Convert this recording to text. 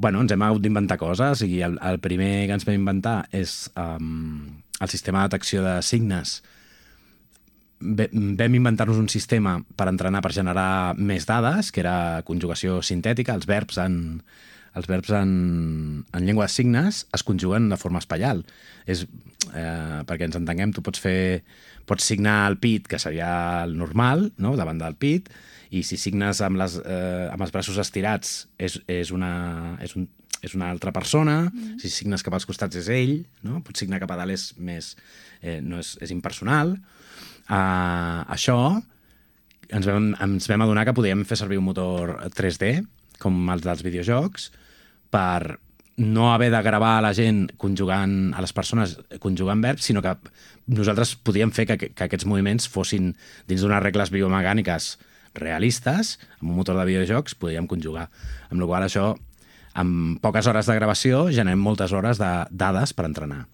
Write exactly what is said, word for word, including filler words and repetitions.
bueno, ens hem hagut d'inventar coses i el, el primer que ens vam inventar és um, el sistema de detecció de signes. Vam inventar-nos un sistema per entrenar, per generar més dades, que era conjugació sintètica. Els verbs en, els verbs en, en llengua de signes es conjuguen de forma espaial. És, eh, perquè ens entenguem, tu pots fer pots signar el pit, que seria el normal, no?, davant del pit, i si signes amb, les, eh, amb els braços estirats és, és, una, és, un, és una altra persona, mm. si signes cap als costats és ell, no? Pots signar cap a dalt és més... Eh, no és, és impersonal. Uh, això ens vam, ens vam adonar que podíem fer servir un motor tres D, com els dels videojocs, per no haver de gravar a la gent conjugant, a les persones conjugant verbs, sinó que nosaltres podíem fer que, que aquests moviments fossin dins d'unes regles biomecàniques realistes, amb un motor de videojocs podíem conjugar. Amb la qual cosa això, amb poques hores de gravació, generem moltes hores de dades per entrenar.